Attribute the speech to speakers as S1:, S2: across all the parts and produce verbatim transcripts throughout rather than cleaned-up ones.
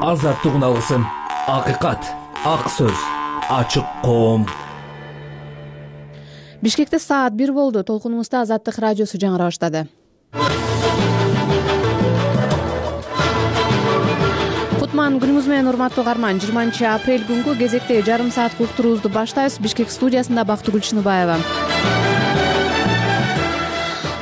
S1: азаттыгын алсын. Акыйкат, ак сөз, ачык коом.
S2: Бишкекте саат бир болду. Толкунубузда Азаттык радиосу жаңыра баштады. Кутман күнүңүз менен урматтуу угарман. жыйырманчы апрель күнгү кезектеги жарым саат уктуруубузду баштайбыз. Бишкек студиясында Бактыгүл Чыныбаева.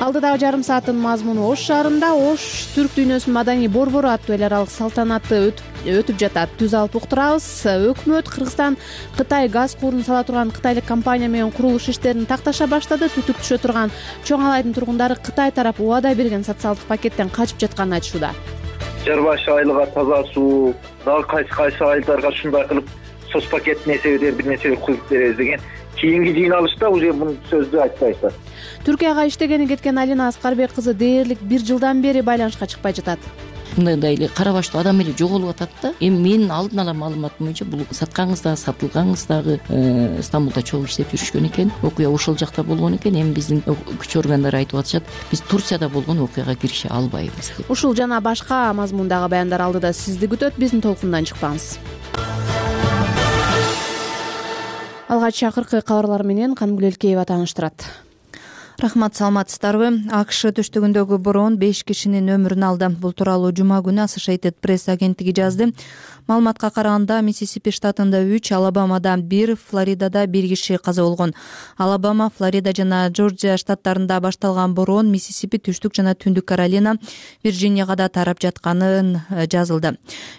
S2: Алдыдагы жарым сааттын мазмуну Ош шаарында Ош түрк дүйнөсүнүн маданий борбору аттуу эл аралык салтанаты өтүп жатат. Түз алып уктурабыз. Өкмөт Кыргызстан Кытай газ куурун сала турган кытайлык компания менен курулуш иштерин такташа баштады. Түтүк түшө турган Чоң Алайдын тургундары Кытай тарап убада берген социалдык пакеттен качып жатканын айтышууда.
S3: Жар башы айлыга таза суу, дагы кайсы кайсы айылдарга ушундай кылып соц пакеттин эсебинен бир нерсе куюп беребиз деген кийинки жыйналышта уже бул сөздү айтпайсыздар.
S2: Түркияга иштегени кеткен Алина Аскарбек кызы дээрлик бир жылдан бери байланышка чыкпай жатат.
S4: Мындай эле кара баштуу адам эле жоголуп атат да. Эми менин алдын ала маалыматым боюнча бул саткаңыз да, сатылгаңыз дагы Стамбулда чогуу иштеп жүрүшкөн экен. Окуя ошол жакта болгон экен. Эми биздин күч органдары айтып атышат, биз Турцияда болгон окуяга киреше албайбыз деп.
S2: Ушул жана башка мазмундагы баяндар алдыда сизди күтөт. Биздин толкундан чыкпаңыз. Алгач акыркы кабарлар менен Канымгүл Элкеева тааныштырат.
S5: Рахмат, саламатсыздарбы? АКШ түштүгүндөгү бороон беш кишинин өмүрүн алды. Бул тууралуу жума күнү Associated Press агенттиги жазды. Маалыматка караганда Миссисипи штатында үч, Алабамада бир, Флоридада бир киши каза болгон. Алабама, Флорида жана Джорджия штаттарында башталган бороон Миссисипи, түштүк жана түндүк Каролина, Вирджинияга да тарап жатканын жазылды.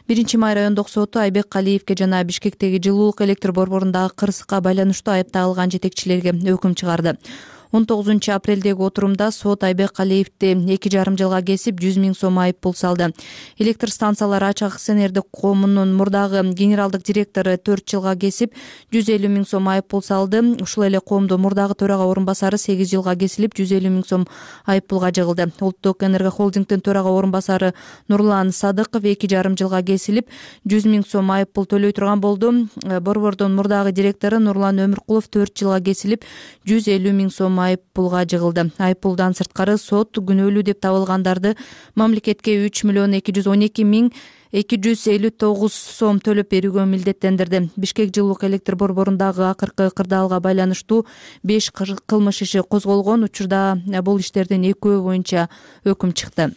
S5: биринчи май райондук соту Айбек Калиевге жана Бишкектеги жылуулук электр борборундагы кырсыкка байланыштуу айыпталган жетекчилерге өкүм чыгарды. он тогузунчу апрелдеги отурумда сот Айбек Калиевди эки жарым жылга кесип жүз миң сом айып пул салды. Электр станциялары ачык акционердик коомунун мурдагы генералдык директору төрт жылга кесип жүз элүү миң сом айып пул салды. Ушул эле коомдун мурдагы төрага орун басары сегиз жылга кесилип жүз элүү миң сом айып пулга жыгылды. Улуттук энерго холдингдин төрага орун басары Нурлан Садыков эки жарым жылга кесилип жүз миң сом айып пул төлөй турган болду. Борбордун мурдагы директору Нурлан Өмүркулов төрт жылга кесилип жүз элүү миң сом айып пулга жыгылды. Айып пулдан сырткары сот күнөөлүү деп табылгандарды мамлекетке үч миллион эки жүз он эки миң эки жүз элүү тогуз сом төлөп берүүгө милдеттендирди. Бишкек жылуулук электр борборундагы акыркы кырдаалга байланыштуу беш кылмыш иши козголгон. Учурда бул иштердин экөө боюнча өкүм чыкты.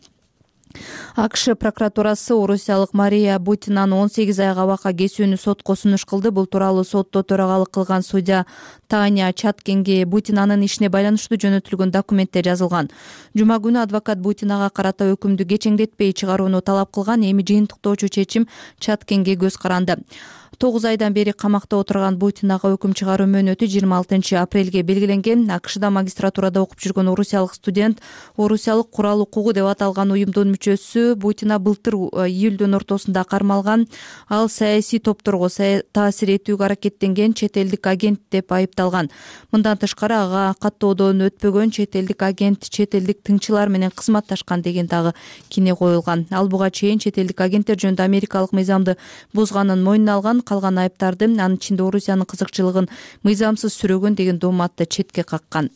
S5: АКШ прокуратурасы орусиялык Мария Бутинаны он сегиз айга абакка кесүүнү сотко сунуш кылды. Бул тууралуу сотто төрагалык кылган судья Таня Чаткинге Бутинанын ишине байланыштуу жөнөтүлгөн документте жазылган. Жума күнү адвокат Бутинага карата өкүмдү кечеңдетпей чыгарууну талап кылган. Эми жыйынтыктоочу чечим Чаткинге көз каранды. тогуз айдан бери камакта отурган Бутинага өкүм чыгаруу мөөнөтү жыйырма алтынчы апрелге белгиленген. АКШда магистратурада окуп жүргөн орусиялык студент, орусиялык курал укугу деп аталган уюмдун мүчөсү Бутина былтыр июлдун ортосунда кармалган. Ал саясий топторго таасир этүүгө аракеттенген чет элдик агент деп айыпталган. Мындан тышкары ага каттоодон өтпөгөн чет элдик агент чет элдик тыңчылар менен кызматташкан деген дагы кине коюлган. Ал буга чейин чет элдик агенттер жөнүндө америкалык мыйзамды бузганын мойнуна алган. Калган айыптарды, анын ичинде Орусиянын кызыкчылыгын мыйзамсыз сүрөгөн деген дооматты четке каккан.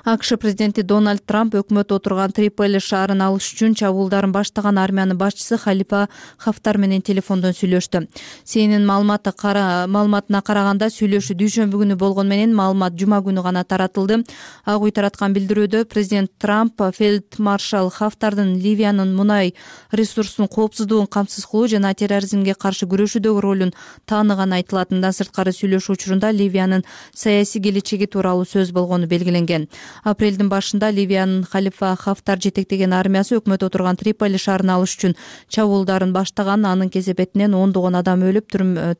S5: АКШ президенти Дональд Трамп өкмөт отурган Триполи шаарын алыш үчүн чабуулдарын баштаган армиянын башчысы Халифа Хафтар менен телефондон сүйлөштү. Сенин маалыматы кара маалыматына караганда сүйлөшүү дүйшөмбү күнү болгон менен маалымат жума күнү гана таратылды. Ак үй тараткан билдирүүдө президент Трамп фельдмаршал Хафтардын Ливиянын мунай ресурсунун коопсуздугун камсыз кылуу жана терроризмге каршы күрөшүүдөгү ролун тааныганы айтылат. Мындан сырткары сүйлөшүү учурунда Ливиянын саясий келечеги тууралуу сөз болгону белгиленген. Апрелдин башында Ливиянын Халифа Хафтар жетектеген армиясы өкмөт отурган Триполи шаарын алыш үчүн чабуулдарын баштаган. Анын кесепетинен ондогон адам өлүп,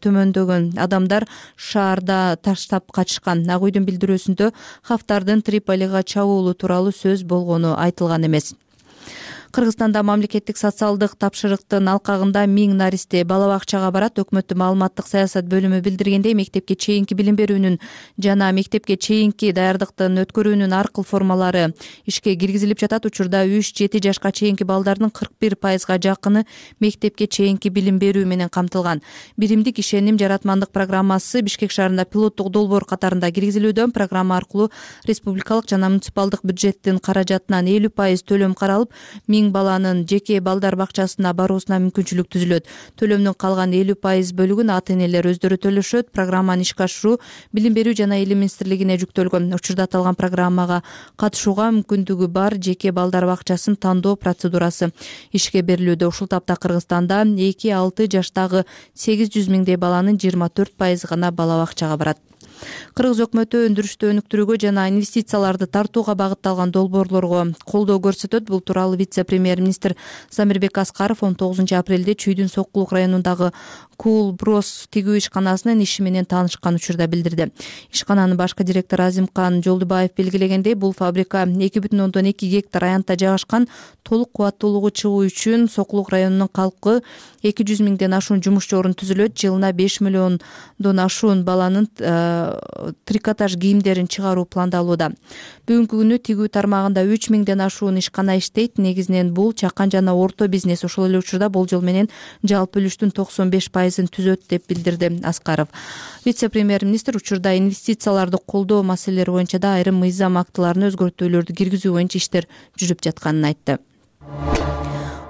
S5: төмөндөгөн адамдар шаарда таштап качышкан. Ак үйдүн билдирүүсүндө Хафтардын Триполига чабуулу тууралуу сөз болгону айтылган эмес. Кыргызстанда мамлекеттик социалдык тапшырыктын алкагында миң наристе бала бакчага барат. Өкмөттүн маалыматтык саясат бөлүмү билдиргендей, мектепке чейинки билим берүүнүн жана мектепке чейинки даярдыктын өткөрүүнүн ар кыл формалары ишке киргизилип жатат. Учурда үч жети жашка чейинки балдардын кырк бир пайызга жакыны мектепке чейинки билим берүү менен камтылган. Биримдик ишеним жаратмандык программасы Бишкек шаарында пилоттук долбоор катарында киргизилүүдө. Программа аркылуу республикалык жана муниципалдык бюджеттин каражатынан элүү пайыз төлөм каралып, миң миң баланын жеке балдар бакчасына баруусуна мүмкүнчүлүк түзүлөт. Төлөмдүн калган элүү пайыз бөлүгүн ата энелер өздөрү төлөшөт. Программаны ишке ашыруу Билим берүү жана Илим министрлигине жүктөлгөн. Учурда аталган программага катышууга мүмкүндүгү бар жеке балдар бакчасын тандоо процедурасы ишке берилүүдө. Ушул тапта Кыргызстанда эки алты жаштагы сегиз жүз миңдей баланын жыйырма төрт пайызы гана бала бакчага барат. Кыргыз өкмөтү өндүрүштү өнүктүрүүгө жана инвестицияларды тартууга багытталган долбоорлорго колдоо көрсөтөт. Бул тууралуу вице-премьер-министр Замирбек Аскаров он тогузунчу апрелде Чүйдүн Сокулук районундагы Кул Брос тигүү ишканасынын иши менен таанышкан учурда билдирди. Ишкананын башкы директору Азимкан Жолдубаев белгилегендей, бул фабрика эки бүтүн ондон эки гектар аянтта жайгашкан. Толук кубаттуулугу чыгуу үчүн Сокулук районунун калкы эки жүз миңден ашуун жумушчу орун түзүлөт. Жылына беш миллиондон ашуун баланын трикотаж кийимдерин чыгаруу пландалууда. Бүгүнкү күнү тигүү тармагында үч миңден ашуун ишкана иштейт. Негизинен бул чакан жана орто бизнес. Ошол эле учурда болжол менен жалпы үлүштүн токсон беш пайызын түзөт деп билдирди Аскаров. Вице-премьер-министр учурда инвестицияларды колдоо маселелери боюнча да айрым мыйзам актыларына өзгөртүүлөрдү киргизүү боюнча иштер жүрүп жатканын айтты.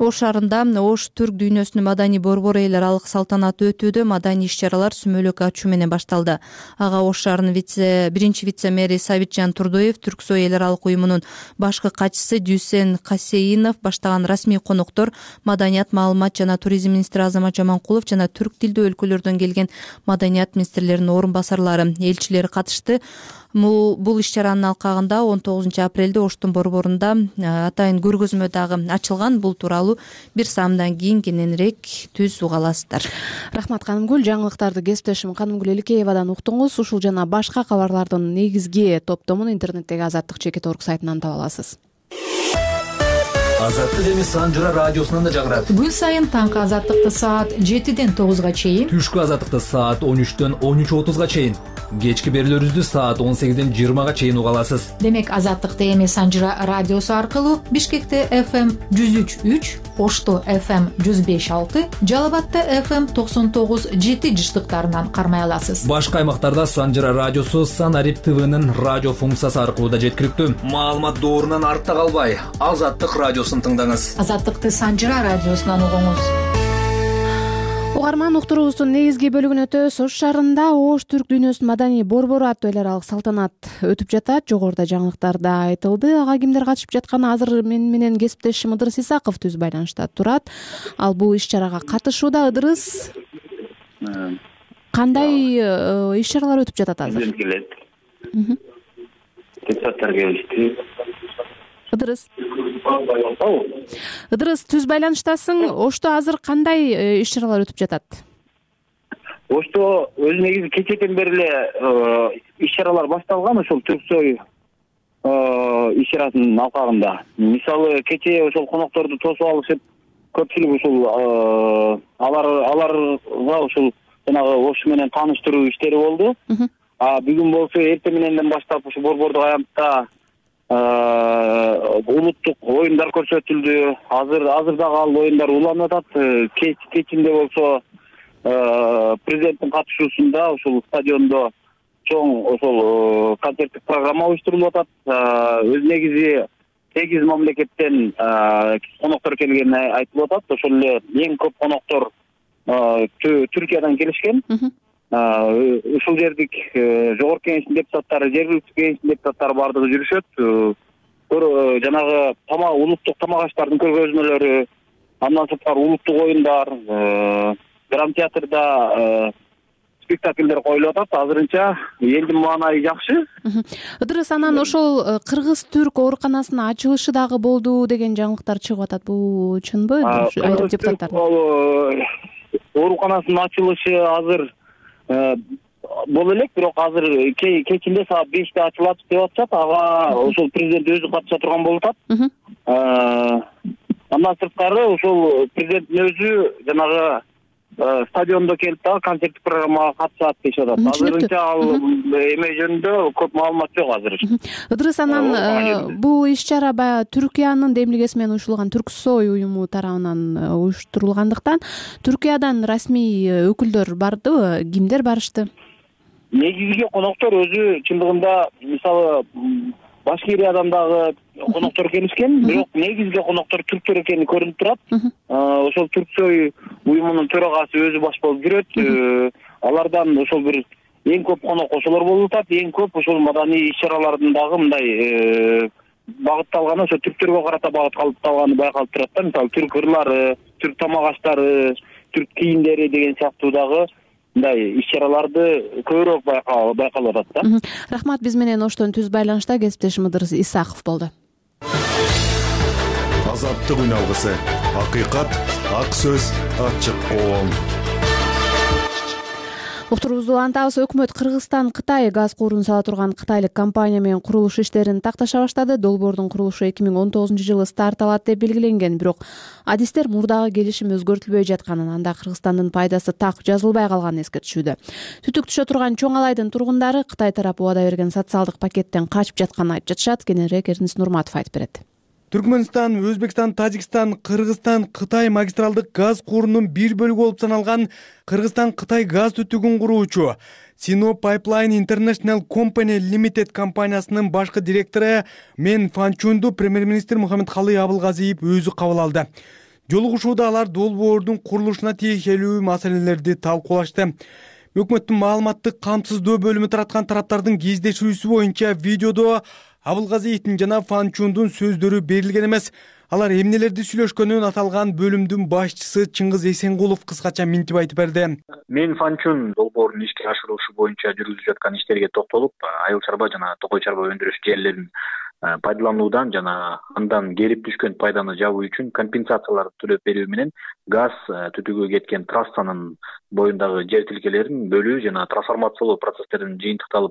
S5: Ош шаарында Ош түрк дүйнөсүнүн маданий борбору эл аралык салтанаты өтүүдө. Маданий иш-чаралар сүмөлөк ачуу менен башталды. Ага Ош шаарынын вице биринчи вице-мэри Сабитжан Турдоев, Түрксой эл аралык уюмунун башкы катчысы Дүйсен Касейинов баштаган расмий конуктор, маданият, маалымат жана туризм министри Азамат Жаманкулов жана түрк тилдүү өлкөлөрдөн келген маданият министрлеринин орун басарлары, элчилери катышты. Бул иш-чаранын алкагында он тогузунчу апрелде Оштун борборунда атайын көргөзмө дагы ачылган. Бул тууралуу бир саамдан кийин кененирээк түз уга аласыздар.
S2: Рахмат Канымгүл. Жаңылыктарды кесиптешим Канымгүл Эликеевадан уктуңуз. Ушул жана башка кабарлардын негизги топтомун интернеттеги азаттык чекит орг сайтынан таба аласыз.
S1: Азаттык эми Санжыра радиосунан да жагырат.
S6: Күн сайын таңкы азаттыкты саат жетиден тогузга чейин,
S1: түшкү азаттыкты саат он үчтөн он үч отузга чейин, кечки берүүлөрүбүздү саат он сегизден жыйырмага чейин уга аласыз.
S6: Демек азаттыкты эми Санжыра радиосу аркылуу Бишкекте эф эм жүз үч үч, Ошто эф эм жүз беш алты, Жалал Абадта эф эм токсон тогуз жети жыштыктарынан кармай аласыз.
S1: Башка аймактарда Санжыра радиосу Санарип ТВнын радио функциясы аркылуу да жеткиликтүү. Маалымат доорунан артта калбай, Азаттык радиосун тыңдаңыз.
S6: Азаттыкты Санжыра радиосунан угуңуз.
S2: Угарман, уктуруубуздун негизги бөлүгүнө өтөбүз. Ош шаарында Ош түрк дүйнөсүнүн маданий борбору аттуу эл аралык салтанат өтүп жатат. Жогоруда жаңылыктарда айтылды. Ага кимдер катышып жатканы азыр мен менен кесиптешим Ыдырыс Исаков түз байланышта турат. Ал бул иш-чарага катышууда. Ыдырыс, кандай иш-чаралар өтүп жатат азыр?
S3: Депутаттар келишти.
S2: Ыдырыс. Ыдырыс, түз байланыштасың. Ошто азыр кандай иш-чаралар өтүп жатат?
S3: Ошто өз негизи кечеден бери эле иш-чаралар башталган, ошол Түрксой иш-чарасынын алкагында. Мисалы, кечээ ошол конокторду тосуп алышып, көпчүлүк ушул алар аларга ушул жанагы Ош менен тааныштыруу иштери болду. А бүгүн болсо эртең мененден баштап ушул борбордук аянтта улуттук оюндар көрсөтүлдү. Азыр азыр дагы ал оюндар уланып атат. Кеч кечинде болсо президенттин катышуусунда ушул стадиондо чоң ошол концерттик программа уюштурулуп атат. Өз негизи сегиз мамлекеттен коноктор келгени айтылып атат. Ошол эле эң көп коноктор Түркиядан келишкен. Ушул жердик жогорку кеңештин депутаттары, жергиликтүү кеңештин депутаттары бардыгы жүрүшөт. Жанагы тамак, улуттук тамак аштардын көргөзмөлөрү, андан сырткары улуттук оюндар, драмтеатрда спектакльдер коюлуп атат. Азырынча элдин маанайы жакшы.
S2: Ыдырыс, анан ошол кыргыз-түрк ооруканасынын ачылышы дагы болду деген жаңылыктар чыгып атат. Бул чынбы? Айрым депутаттар
S3: ооруканасынын ачылышы азыр боло элек, бирок азыр кечинде саат беште ачылат деп атышат. Ага ошол президент өзү катыша турган болуп атат. Андан сырткары ошол президенттин өзү жанагы стадиондо келип дагы концерттик программага катышат дешип атат. Азырынча ал эме жөнүндө көп маалымат жок азыр.
S2: Ыдырыс, анан бул иш-чара баягы Түркиянын демилгеси менен уюштурулган Түрксой уюму тарабынан уюштурулгандыктан Түркиядан расмий өкүлдөр бардыбы? Кимдер барышты?
S3: Негизги коноктор өзү чындыгында, мисалы, Башкириядан дагы коноктор келишкен, бирок негизги коноктор түрктөр экени көрүнүп турат. Ошол Түрксой уюмунун төрагасы өзү баш болуп жүрөт. Алардан ошол бир эң көп конок ошолор болуп атат. Эң көп ошол маданий иш-чаралардын дагы мындай багытталганы ошо түрктөргө карата багытталганы байкалып турат да. Мисалы түрк ырлары, түрк тамак аштары, түрк кийимдери деген сыяктуу дагы мындай иш-чараларды көбүрөөк байкалып атат да.
S2: Рахмат, биз менен оштон түз байланышта кесиптешим Ыдырыс Исаков болду.
S7: Азаттык үналгысы, акыйкат, ак сөз, ачык коом.
S2: Уктурубузду улантабыз. Өкмөт Кыргызстан Кытай газ куурун сала турган кытайлык компания менен курулуш иштерин такташа баштады. Долбоордун курулушу эки миң он тогузунчу жылы старт алат деп белгиленген, бирок адистер мурдагы келишим өзгөртүлбөй жатканын, анда Кыргызстандын пайдасы так жазылбай калганын эскертишүүдө. Түтүк түшө турган Чоң Алайдын тургундары Кытай тарапы убада берген социалдык пакеттен качып жатканын айтып жатышат. Кененирээк Эрдинис Нурматов айтып берет.
S8: Түркмөнстан, Өзбекстан, Тажикстан, Кыргызстан, Кытай магистралдык газ куурунун бир бөлүгү болуп саналган Кыргызстан-Кытай газ түтүгүн куруучу Sino Pipeline International Company Limited компаниясынын башкы директору Мен Фанчунду премьер-министр Мухаммедкалый Абылгазиев өзү кабыл алды. Жолугушууда алар долбоордун курулушуна тиешелүү маселелерди талкуулашты. Өкмөттүн маалыматтык камсыздоо бөлүмү тараткан тараптардын кездешүүсү боюнча видеодо Абылгазиевдин жана Фанчундун сөздөрү берилген эмес. Алар эмнелерди сүйлөшкөнүн аталган бөлүмдүн башчысы Чыңгыз Эсенгулов кыскача минтип айтып берди.
S9: Мен Фанчун долбоордун ишке ашырылышы боюнча жүргүзүлүп жаткан иштерге токтолуп, айыл чарба жана токой чарба өндүрүш жерлерин пайдалануудан жана андан келип түшкөн пайданы жабуу үчүн компенсацияларды төлөп берүү менен газ түтүгү кеткен трассанын боюндагы жер тилкелерин бөлүү жана трансформациялоо процесстеринин жыйынтыкталып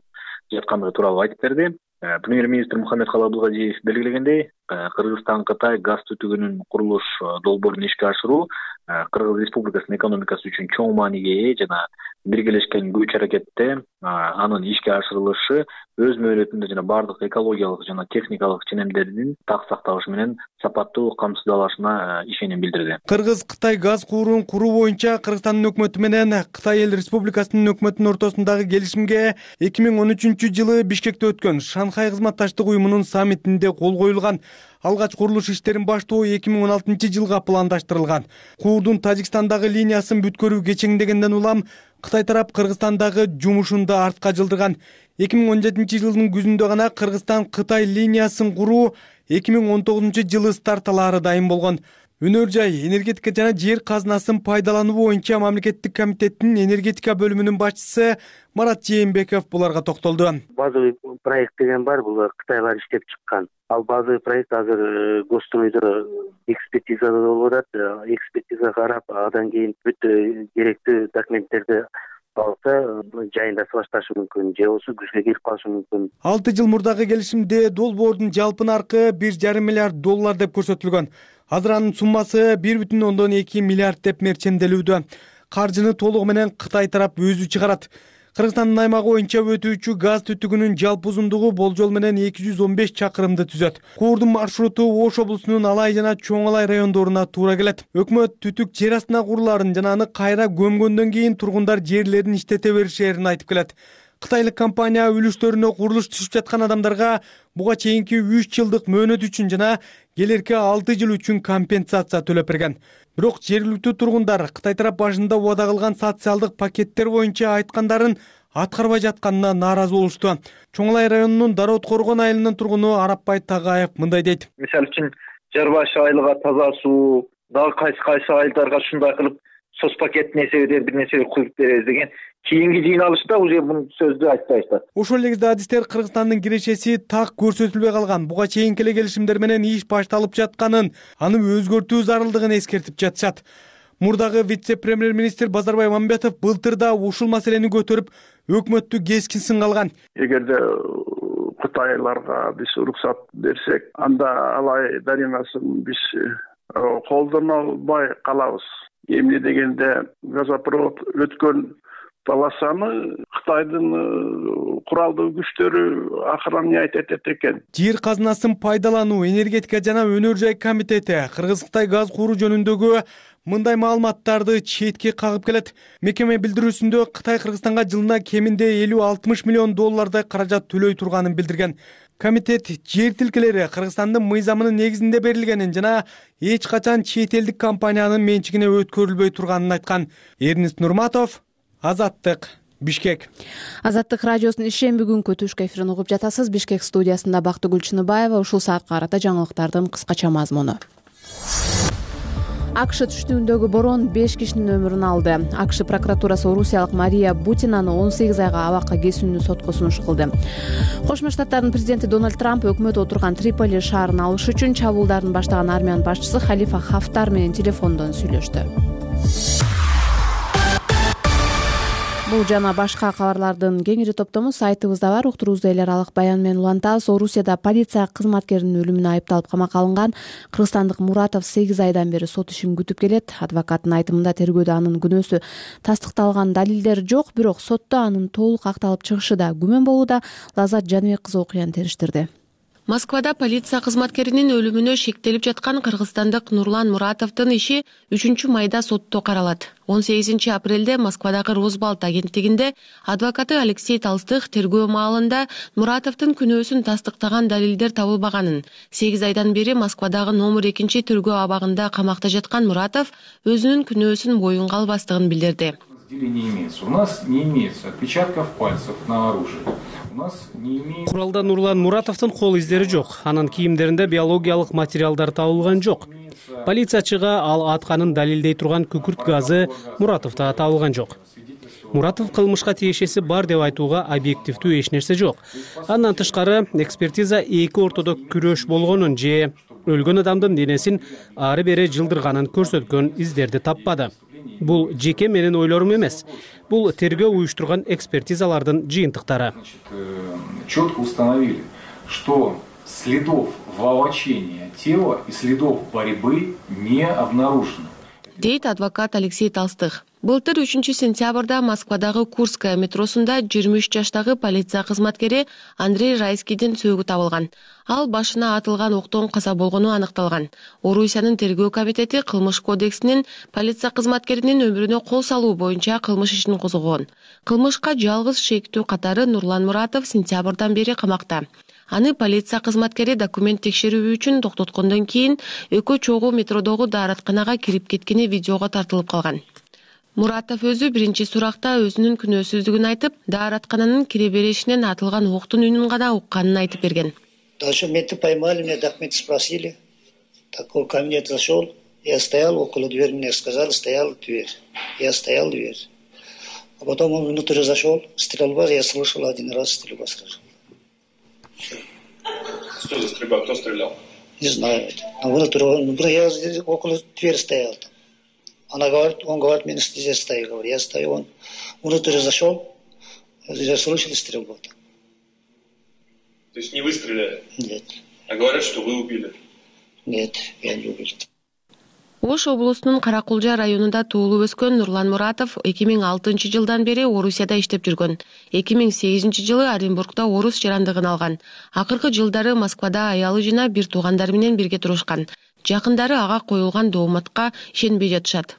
S9: жаткандыгы тууралуу айтып берди. Премьер-министр Мухаммедкалый Абылгазиев белгилегендей, Кыргызстан-Кытай газ түтүгүнүн курулуш долбоорун ишке ашыруу Кыргыз Республикасынын экономикасы үчүн чоң мааниге ээ жана биргелешкен күч аракетте анын ишке ашырылышы өз мөөнөтүндө жана бардык экологиялык жана техникалык ченемдердин так сакталышы менен сапаттуу камсыздалышына ишеним билдирди.
S8: Кыргыз-Кытай газ куурун куруу боюнча Кыргызстандын өкмөтү менен Кытай эл Республикасынын өкмөтүнүн ортосундагы келишимге эки миң он үчүнчү жылы Бишкекте өткөн Шанхай кызматташтык уюмунун саммитинде кол коюлган. Алгач курулуш иштерин баштоо эки миң он алтынчы жылга пландаштырылган. Куурдун Тажикстандагы линиясын бүткөрүү кечеңдегенден улам Кытай тарап Кыргызстандагы жумушун да артка жылдырган. эки миң он жетинчи жылдын күзүндө гана Кыргызстан-Кытай линиясын куруу эки миң он тогузунчу жылы старт алаары дайым болгон. Өнөр жай, энергетика жана жер казынасын пайдалануу боюнча мамлекеттик комитеттин энергетика бөлүмүнүн башчысы Марат Жээнбеков буларга токтолду.
S10: Базовый проект деген бар, бул Кытайлар иштеп чыккан. Ал базовый проект азыр Госстройдо экспертизада болуп атат. Экспертиза карап, андан кийин бүт керектүү документтерди алса, жайында башташы мүмкүн, же болбосо күзгө кирип калышы мүмкүн.
S8: алты жыл мурдагы келишимде долбоордун жалпы наркы бир жарым миллиард доллар деп көрсөтүлгөн. Азыр анын суммасы бир бүтүн ондон эки миллиард деп мерчемделүүдө. Каржыны толугу менен Кытай тарап өзү чыгарат. Кыргызстандын аймагы боюнча өтүүчү газ түтүгүнүн жалпы узундугу болжол менен эки жүз он беш чакырымды түзөт. Куурдун маршруту Ош облусунун Алай жана Чоң Алай райондоруна туура келет. Өкмөт түтүк жер астына курулаарын жана аны кайра көмгөндөн кийин тургундар жерлерин иштете беришерин айтып келет. Кытайлык компания үлүштөрүнө курулуш түшүп жаткан адамдарга буга чейинки үч жылдык мөөнөт үчүн жана келерки алты жыл үчүн компенсация төлөп берген. Бирок жергиликтүү тургундар Кытай тарап башында убада кылган социалдык пакеттер боюнча айткандарын аткарбай жатканына нааразы болушту. Чоң Алай районунун Дароот Коргон айылынын тургуну Арапбай Тагаев мындай дейт.
S11: Мисалы үчүн жар башы айылга таза суу, дагы кайсы кайсы айылдарга ушундай кылып соц пакеттин эсебинде бир нерсе куюп беребиз деген кийинки жыйналышта уже бул сөздү айтпайбыз.
S8: Ошол эле кезде адистер Кыргызстандын кирешеси так көрсөтүлбөй калган, буга чейинки эле келишимдер менен иш башталып жатканын, аны өзгөртүү зарылдыгын эскертип жатышат. Мурдагы вице-премьер-министр Базарбай Мамбетов былтыр да ушул маселени көтөрүп, өкмөттү кескин сынга алган.
S12: Эгерде Кытайларга биз уруксат берсек, анда Алай дарыясын биз колдоно албай калабыз. Эмне дегенде газопровод өткөн полосаны Кытайдын куралдуу күчтөрү охранять этет экен.
S8: Жер казынасын пайдалануу, энергетика жана өнөр жай комитети Кыргыз-Кытай газ кууруу жөнүндөгү мындай маалыматтарды четке кагып келет. Мекеме билдирүүсүндө Кытай Кыргызстанга жылына кеминде элүү алтымыш миллион доллардай каражат төлөй турганын билдирген. комитет жер тилкелери Кыргызстандын мыйзамынын негизинде берилгенин жана эч качан чет элдик компаниянын менчигине өткөрүлбөй турганын айткан. Эрнест Нурматов, Азаттык, Бишкек.
S2: Азаттык радиосунун ишемби күнкү түшкү эфирин угуп жатасыз. Бишкек студиясында Бактыгүл Чыныбаева. Ушул саатка карата жаңылыктардын кыскача мазмуну. АКШ түштүгүндөгү борон беш кишинин өмүрүн алды. АКШ прокуратурасы орусиялык Мария Бутинаны он сегиз айга абакка кесүүнү сотко сунуш кылды. Кошмо Штаттардын президенти Дональд Трамп өкмөт отурган Триполи шаарын алыш үчүн чабуулдарын баштаган армиянын башчысы Халифа Хафтар менен телефондон сүйлөштү. Бул жана башка кабарлардын кеңири топтому сайтыбызда бар. Уктуруубузду эл аралык баян менен улантабыз. Орусияда полиция кызматкеринин өлүмүнө айыпталып камакка алынган кыргызстандык Муратов сегиз айдан бери сот ишин күтүп келет. Адвокаттын айтымында тергөөдө анын күнөөсү тастыкталган далилдер жок, бирок сотто анын толук акталып чыгышы да күмөн болууда. Лазат Жаныбек кызы окуяны териштирди.
S13: Москвада полиция кызматкеринин өлүмүнө шектелип жаткан кыргызстандык Нурлан Муратовдун иши үчүнчү майда сотто каралат. он сегизинчи апрелде Москвадагы Росбалт агенттигинде адвокаты Алексей Толстых тергөө маалында Муратовдун күнөөсүн тастыктаган далилдер табылбаганын, сегиз айдан бери Москвадагы номер экинчи тергөө абагында камакта жаткан Муратов өзүнүн күнөөсүн боюнга албастыгын билдирди.
S14: У нас не имеется отпечатков пальцев на оружии.
S15: Куралда Нурлан Муратовдун кол издери жок. Анын кийимдеринде биологиялык материалдар табылган жок. Полициячыга ал атканын далилдей турган күкүрт газы Муратовдо табылган жок. Муратов кылмышка тиешеси бар деп айтууга объективдүү эч нерсе жок. Андан тышкары экспертиза эки ортодо күрөш болгонун же өлгөн адамдын денесин ары бери жылдырганын көрсөткөн издерди таппады. Бул жеке менин ойлорум эмес. Бул тергөө уюштурган экспертизалардын жыйынтыктары.
S14: Четко установили, что следов волочения тела и следов борьбы не обнаружено.
S13: Дейт адвокат Алексей Толстых. Былтыр үчүнчү сентябрда Москвадагы Курская метросунда жыйырма үч жаштагы полиция кызматкери Андрей Райскийдин сөөгү табылган. Ал башына атылган октон каза болгону аныкталган. Орусиянын тергөө комитети кылмыш кодексинин полиция кызматкеринин өмүрүнө кол салуу боюнча кылмыш ишин козгогон. Кылмышка жалгыз шектүү катары Нурлан Муратов сентябрдан бери камакта. Аны полиция кызматкери документ текшерүү үчүн токтоткондон кийин экөө чогуу метродогу дааратканага кирип кеткени видеого тартылып калган. Муратов өзү биринчи суракта өзүнүн күнөөсүздүгүн айтып, даараткананын кире беришинен атылган октун үнүн гана укканын айтып берген.
S16: Дальше менты поймали, меня документы спросили. Такой кабинет зашел, я стоял около двери, мне сказали, стояла дверь. Я стоял в дверь. А потом он внутрь зашел, стрельба, я слышал один раз стрельба сразу.
S17: Что за стрельба? Кто стрелял?
S16: Не знаю. А внутрь, внутрь я около двери стоял. Она говорит, он говорит, меня здесь стоит, говорит, я стою, он внутрь зашел, я слышал стрельбу.
S17: То есть не вы стреляли?
S16: Нет.
S17: А говорят, что вы убили?
S16: Нет, я не убил.
S13: Ош облусунун Каракулжа районунда туулуп өскөн Нурлан Муратов эки миң алтынчы жылдан бери Орусияда иштеп жүргөн. эки миң сегизинчи жылы Оренбургда орус жарандыгын алган. Акыркы жылдары Москвада аялы жана бир туугандары менен бирге турушкан. Жакындары ага коюлган дооматка ишенбей жатышат.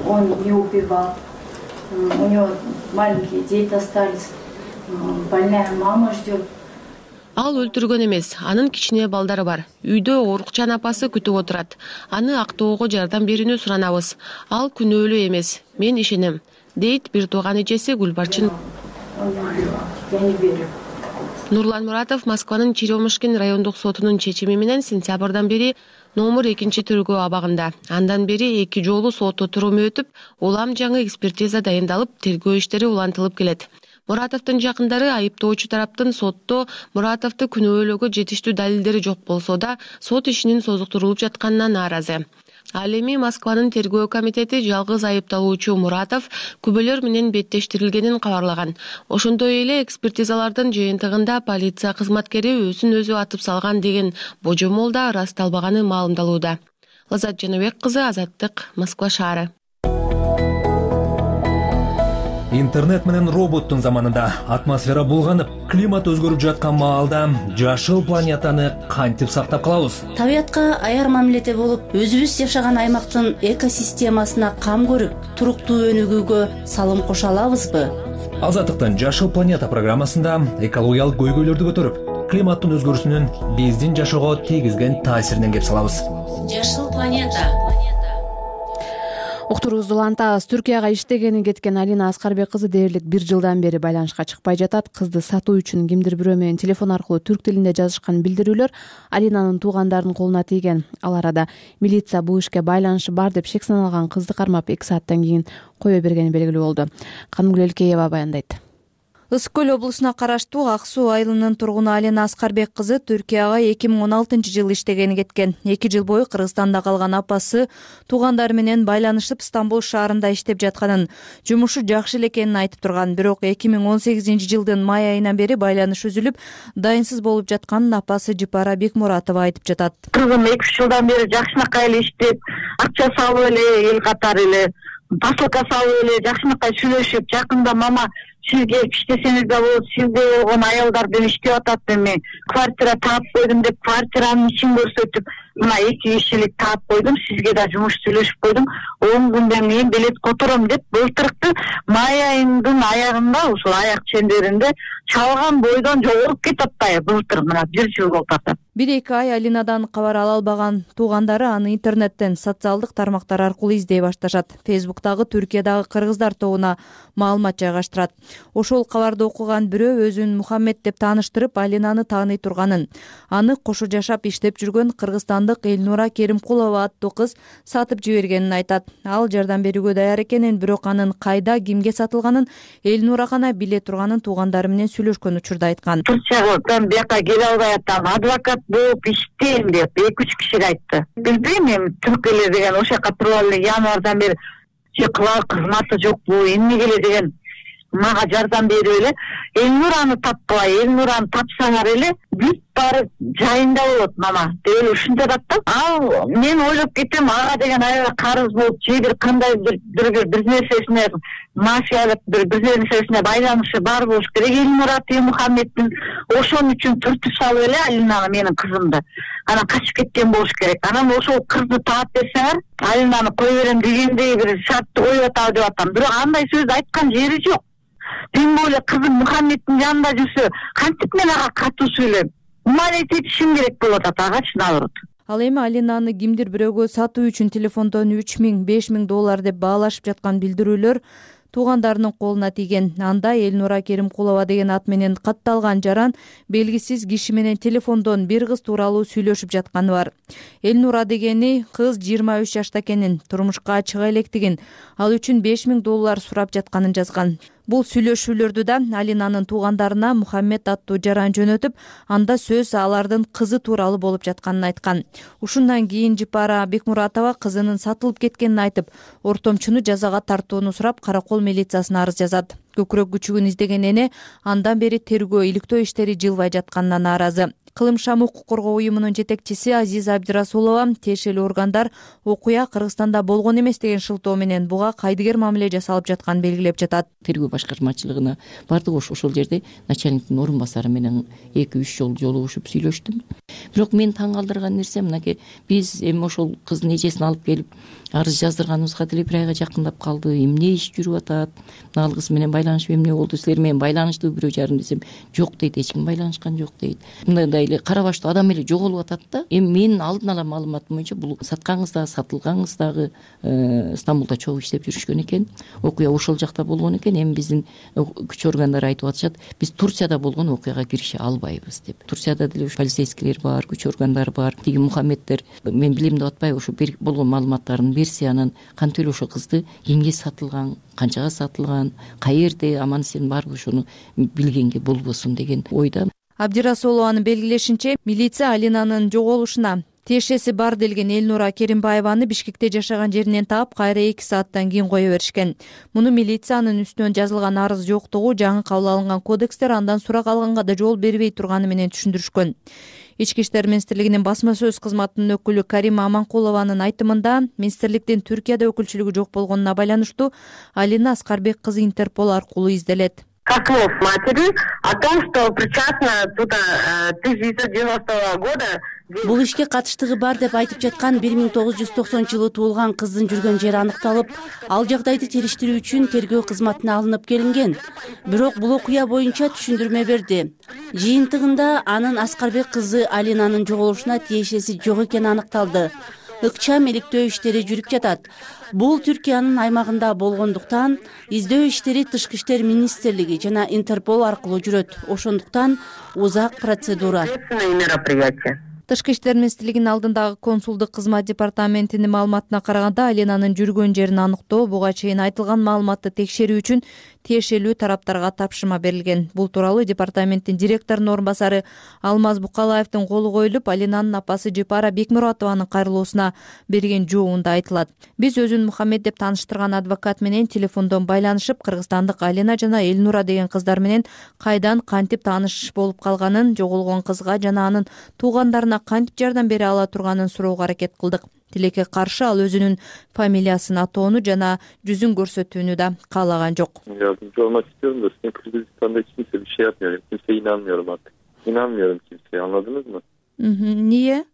S18: Он не убивал. У него маленькие дети остались. Больная мама ждет.
S13: Ал өлтүргөн эмес, анын кичине балдары бар. Үйдө оорукчан апасы күтүп отурат. Аны актоого жардам берүүнү суранабыз. Ал күнөөлүү эмес, мен ишенем, дейт бир тууган эжеси Гүлбарчын.
S18: Я не верю.
S13: Нурлан Муратов Москванын Черемушкин райондук сотунун чечими менен сентябрдан бери номер экинчи тергөө абагында. Андан бери эки жолу сот отуруму өтүп, улам жаңы экспертиза дайындалып, тергөө иштери улантылып келет. Муратовдун жакындары айыптоочу тараптын сотто Муратовду күнөөлөөгө жетиштүү далилдери жок болсо да, сот ишинин созуктурулуп жатканына нааразы. Ал эми Москванын тергөө комитети жалгыз айыпталуучу Муратов күбөлөр менен беттештирилгенин кабарлаган. Ошондой эле экспертизалардын жыйынтыгында полиция кызматкери өзүн өзү атып салган деген божомол да ырасталбаганы маалымдалууда. Лазат Жаныбек кызы, Азаттык, Москва шаары.
S1: Интернет менен роботтун заманында атмосфера булганып, климат өзгөрүп жаткан маалда жашыл планетаны кантип сактап калабыз?
S19: Табиятка аяр мамиледе болуп, өзүбүз жашаган аймактын экосистемасына кам көрүп, туруктуу өнүгүүгө салым кошо алабызбы?
S1: Азаттыктын Жашыл планета программасында экологиялык көйгөйлөрдү көтөрүп, климаттын өзгөрүүсүнүн биздин жашоого тийгизген таасиринен кеп салабыз.
S19: Жашыл планета.
S2: Уктуруубузду улантабыз. Түркияга иштегени кеткен Алина Аскарбек кызы дээрлик бир жылдан бери байланышка чыкпай жатат. Кызды сатуу үчүн кимдир бирөө менен телефон аркылуу түрк тилинде жазышкан билдирүүлөр Алинанын туугандарынын колуна тийген. Ал арада милиция бул ишке байланышы бар деп шек саналган кызды кармап эки сааттан кийин кое бергени белгилүү болду. Канымгүл Элкеева баяндайт.
S5: Ысык көл облусуна караштуу Ак суу айылынын тургуну Алина Аскарбек кызы Түркияга эки миң он алтынчы жылы иштегени кеткен. эки жыл бою Кыргызстанда калган апасы туугандары менен байланышып Стамбул шаарында иштеп жатканын, жумушу жакшы эле экенин айтып турган. Бирок эки миң он сегизинчи жылдын май айынан бери байланыш үзүлүп, дайынсыз болуп жатканын апасы Жыпара Бекмуратова айтып жатат.
S20: Кызым эки үч жылдан бери жакшынакай эле иштеп, акча салып эле, эл катары эле посылка салып эле жакшынакай сүйлөшүп, жакында мама сизге иштесеңиз да болот, сизде болгон аялдардан иштеп атат эми, квартира таап койдум деп квартиранын ишин көрсөтүп, мына эки кишилик таап койдум, сизге да жумуш сүйлөшүп койдум, он күндөн кийин билет котором деп былтыркы май айынын аягында, ушул аяк чендеринде чалган бойдон жоголуп кетип атпайбы былтыр, мына бир жыл болуп атат.
S5: бир эки ай Алинадан кабар ала албаган туугандары аны интернеттен, социалдык тармактар аркылуу издей башташат. Фейсбуктагы Түркиядагы кыргыздар тобуна маалымат жайгаштырат. Ошол кабарды окуган бирөө өзүн Мухаммед деп тааныштырып, Алинаны тааный турганын, аны кошо жашап иштеп жүргөн кыргызстандык Элнура Керимкулова аттуу кыз сатып жибергенин айтат. Ал жардам берүүгө даяр экенин, бирок анын кайда, кимге сатылганын Элнура гана биле турганын туугандары менен сүйлөшкөн учурда айткан.
S20: Турциядан бияка келе албай атам, адвокат болуп иштейм деп эки үч кишиге айтты. Билбейм эми түркүлөр деген ошол жака туруп эле январдан бери кылар кызматы жокпу, эмнеге эле деген мага жардам берип эле Элнураны тапкылай, Элнураны тапсаңар эле бүт баары жайында болот мама деп эле ушинтип атат да. Ал мен ойлоп кетем, ага деген аябай карыз болуп, же бир кандайдыр бир бир нерсесине мафиялык бир бир нерсесине байланышы бар болуш керек Элнура Мухаммеддин. Ошон үчүн түртүп салып эле Алинаны, менин кызымды анан качып кеткен болуш керек. Анан ошол кызды таап берсеңер, Алинаны кое берем дегендей бир шартты коюп атабы деп атам. Бирок андай сөздү айткан жери жок. Тем более кызым Мухаммеддин жанында жүрсө, кантип мен ага катуу сүйлөйм? Умалейт этишим керек болуп атат агачы наоборот.
S5: Ал эми Алинаны кимдир бирөөгө сатуу үчүн телефондон үч миң беш миң доллар деп баалашып жаткан билдирүүлөр туугандарынын колуна тийген. Анда Элнура Керимкулова деген ат менен катталган жаран белгисиз киши менен телефондон бир кыз тууралуу сүйлөшүп жатканы бар. Элнура дегени кыз жыйырма үч жашта экенин, турмушка чыга электигин, ал үчүн беш миң доллар сурап жатканын жазган. Бул сүйлөшүүлөрдү да Алинанын туугандарына Мухаммед аттуу жаран жөнөтүп, анда сөз алардын кызы тууралуу болуп жатканын айткан. Ушундан кийин Жыпара Бекмуратова кызынын сатылып кеткенин айтып, ортомчуну жазага тартууну сурап, Каракол милициясына арыз жазат. Көкүрөк күчүгүн издеген эне андан бери тергөө, иликтөө иштери жылбай жатканына нааразы. Кылым шам укук коргоо уюмунун жетекчиси Азиза Абдирасулова тиешелүү органдар окуя Кыргызстанда болгон эмес деген шылтоо менен буга кайдыгер мамиле жасалып жатканын белгилеп жатат.
S4: Тергөө башкармачылыгына бардык, ошол жерде начальниктин орун басары менен эки үч жолу жолугушуп сүйлөштүм. Бирок мен таң калтырган нерсе мынакей, биз эми ошол кыздын эжесин алып келип арыз жаздырганыбызга деле бир айга жакындап калды. Эмне иш жүрүп атат? Ал кыз менен байланышып эмне болду? Силер менен байланыштуу бирөө жарым десем, жок дейт, эч ким байланышкан жок дейт. Мындай эле кара баштуу адам эле жоголуп атат да. Эми менин алдын ала маалыматым боюнча бул саткан кыз дагы, сатылган кыз дагы Стамбулда чогуу иштеп жүрүшкөн экен. Окуя ошол жакта болгон экен. Эми биздин күч органдары айтып атышат, биз Турцияда болгон окуяга кирише албайбыз деп. Турцияда деле полицейскийлер бар, күч органдары бар. Тиги Мухаммеддер мен билем деп атпайбы, ошо болгон маалыматтарын берсе, анан кантип эле ошол кызды кимге сатылган, канчага сатылган, каерде, аман эсен барбы, ошону билгенге болбосун деген ойда.
S5: Абдирасулованын белгилешинче, милиция Алинанын жоголушуна тиешеси бар делген Элнура Керимбаеваны Бишкекте жашаган жеринен таап, кайра эки сааттан кийин кое беришкен. Муну милициянын үстүнөн жазылган арыз жоктугу, жаңы кабыл алынган кодекстер андан сурак алганга да жол бербей турганы менен түшүндүрүшкөн. Ички иштер министрлигинин басма сөз кызматынын өкүлү Карима Аманкулованын айтымында, министрликтин Түркияда өкүлчүлүгү жок болгонуна байланыштуу Алина Аскарбек кызы Интерпол аркылуу изделет.
S20: слов матери о том, что причастна туда тысяча девятьсот девяностого года.
S21: Бул ишке катыштыгы бар деп айтып жаткан бир миң тогуз жүз токсонунчу жылы туулган кыздын жүргөн жери аныкталып, ал жагдайды териштирүү үчүн тергөө кызматына алынып келинген. Бирок бул окуя боюнча түшүндүрмө берди. Жыйынтыгында анын Аскарбек кызы Алинанын жоголушуна тиешеси жок экени аныкталды. Ыкчам иликтөө иштери жүрүп жатат. Бул Түркиянын аймагында болгондуктан издөө иштери Тышкы иштер министрлиги жана Интерпол аркылуу жүрөт. Ошондуктан узак процедура.
S5: Тышкы иштер министрлигинин алдындагы консулдук кызмат департаментинин маалыматына караганда, Алинанын жүргөн жерин аныктоо буга чейин айтылган маалыматты текшерүү үчүн тиешелүү тараптарга тапшырма берилген. Бул тууралуу департаменттин директорунун орун басары Алмаз Букалаевдин колу коюлуп, Алинанын апасы Жипара Бекмуратованын кайрылуусуна берген жообунда айтылат. Биз өзүн Мухаммед деп тааныштырган адвокат менен телефондон байланышып, кыргызстандык Алина жана Элнура деген кыздар менен кайдан кантип тааныш болуп калганын, жоголгон кызга жана анын туугандарына кантип жардам бере ала турганын суроого аракет кылдык. Тилекке каршы ал өзүнүн фамилиясын атоону жана жүзүн көрсөтүүнү да каалаган жок.
S22: Yardımcı olmak istiyorum da sizin Kırgızistan'da hiç kimse bir şey yapmıyor. Kimseye inanmıyorum artık. İnanmıyorum kimseye, anladınız mı?
S5: Niye?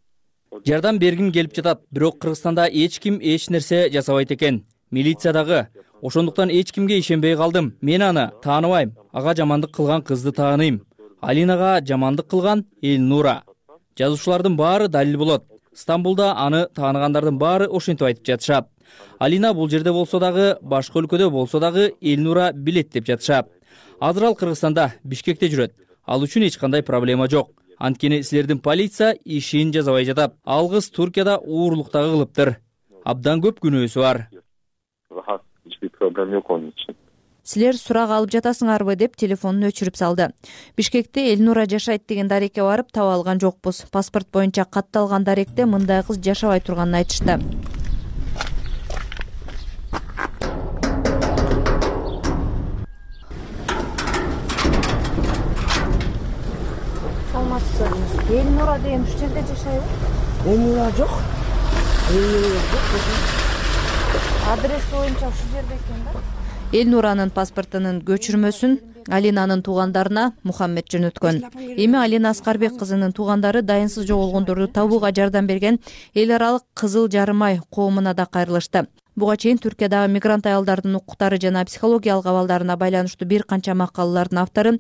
S23: Жардам бергим келип жатат, бирок Кыргызстанда эч ким эч нерсе жасабайт экен. Милиция дагы. Ошондуктан эч кимге ишенбей калдым. Мен аны тааныбайм. Ага жамандык кылган кызды тааныйм. Алинага жамандык кылган Элнура. Жазуучулардын баары далил болот. Стамбулда аны тааныгандардын баары ошентип айтып жатышат. Алина бул жерде болсо дагы, башка өлкөдө болсо дагы Элнура билет деп жатышат. Азыр ал Кыргызстанда, Бишкекте жүрөт. Ал үчүн эч кандай проблема жок. Анткени силердин полиция ишин жасабай жатат. Ал кыз Туркияда уурлук дагы кылыптыр. Абдан көп күнөөсү бар.
S22: Rahat, hiçbir problem yok onun için.
S5: Силер сурак алып жатасыңарбы деп телефонун өчүрүп салды. Бишкекте Элнура жашайт деген дарекке барып таба алган жокпуз. Паспорт боюнча катталган даректе мындай кыз жашабай турганын айтышты.
S24: Саламатсызбы? Элнура деген ушул жерде жашайбы? Элнура жок. Элнура жок. Адрес боюнча ушул жерде экен да.
S5: Элнуранын паспортунун көчүрмөсүн Алинанын туугандарына Мухаммед жөнөткөн. Эми Алина Аскарбек кызынын туугандары дайынсыз жоголгондорду табууга жардам берген эл аралык Кызыл Жарым ай коомуна да кайрылышты. Буга чейин Түркиядагы мигрант аялдардын укуктары жана психологиялык абалдарына байланыштуу бир канча макалалардын автору,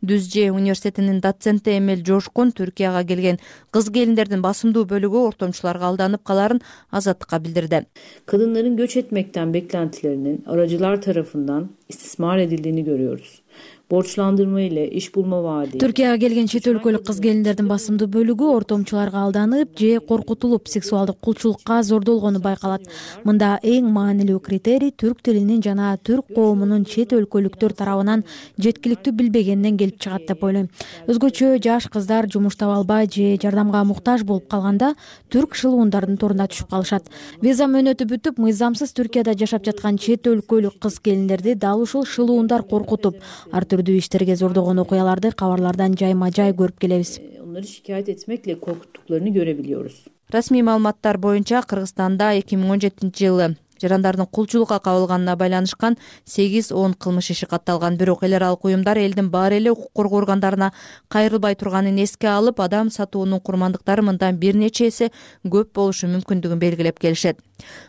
S5: Дүзже университетинин доценти Эмел Жошкун Түркияга келген кыз келиндердин басымдуу бөлүгү ортомчуларга алданып каларын Азаттыкка билдирди.
S25: Kadınların göç etmekten beklentilerinin aracılar tarafından istismar edildiğini görüyoruz. Borçlandırma ile iş bulma vaadi.
S26: Түркияга келген чет өлкөлүк кыз келиндердин басымдуу бөлүгү ортомчуларга алданып же коркутулуп сексуалдык кулчулукка зордолгону байкалат. Мында эң маанилүү критерий түрк тилинин жана түрк коомунун чет өлкөлүктөр тарабынан жеткиликтүү билбегенинен келип чыгат деп ойлойм. Өзгөчө жаш кыздар жумуш таба албай же жардамга муктаж болуп калганда түрк шылуундардын торунда түшүп калышат. Виза мөөнөтү бүтүп, мыйзамсыз Түркияда жашап жаткан чет өлкөлүк кыз келиндерди дал ушул шылуундар коркутуп, ар түрдүү иштерге зордогон окуяларды кабарлардан жайма жай көрүп келебиз.
S25: Onları şikayet etmekle korkuttuklarını görebiliyoruz.
S5: Расмий маалыматтар боюнча Кыргызстанда эки миң он жетинчи жылы жарандардын кулчулукка кабылганына байланышкан сегиз он кылмыш иши катталган. Бирок эл аралык уюмдар элдин баары эле укук коргоо органдарына кайрылбай турганын эске алып, адам сатуунун курмандыктары мындан бир нече эсе көп болушу мүмкүндүгүн белгилеп келишет.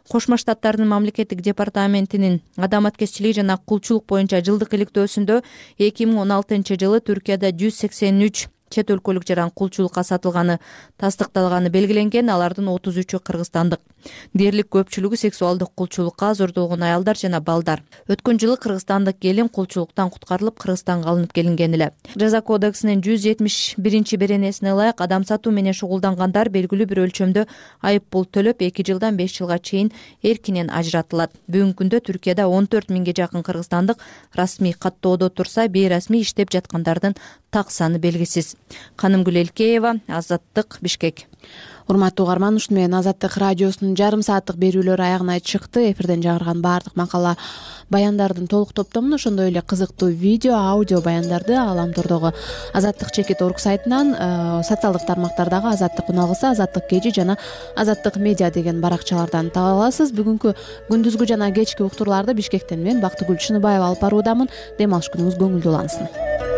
S5: Кошмо Штаттардын мамлекеттик департаментинин адам аткезчилиги жана кулчулук боюнча жылдык иликтөөсүндө эки миң он алтынчы жылы Түркияда жүз сексен үч чет өлкөлүк жаран кулчулукка сатылганы тастыкталганы белгиленген. Алардын отуз үчү кыргызстандык. Дээрлик көпчүлүгү сексуалдык кулчулукка зордолгон аялдар жана балдар. Өткөн жылы кыргызстандык келин кулчулуктан куткарылып Кыргызстанга алынып келинген эле. Жаза кодексинин жүз жетимиш биринчи беренесине ылайык адам сатуу менен шугулдангандар белгилүү бир өлчөмдө айып пул төлөп эки жылдан беш жылга чейин эркинен ажыратылат. Бүгүнкү күндө Түркияда он төрт миңге жакын кыргызстандык расмий каттоодо турса, бейрасмий иштеп жаткандардын так саны белгисиз. келебиз. Канымгүл Элкеева, Азаттык, Бишкек.
S2: Урматтуу угарман, ушуну менен Азаттык радиосунун жарым сааттык берүүлөрү аягына чыкты. Эфирден жагырган баардык макала баяндардын толук топтомун, ошондой эле кызыктуу видео, аудио баяндарды Галамтордогу Азаттык чекит орг сайтынан, социалдык тармактардагы Азаттык уналгысы, Азаттык кежи жана Азаттык медиа деген баракчалардан таба аласыз. Бүгүнкү күндүзгү жана кечки уктурларды Бишкектен мен Бактыгүл Чыныбаева алып баруудамын. Дем алыш күнүңүз көңүлдүү улансын.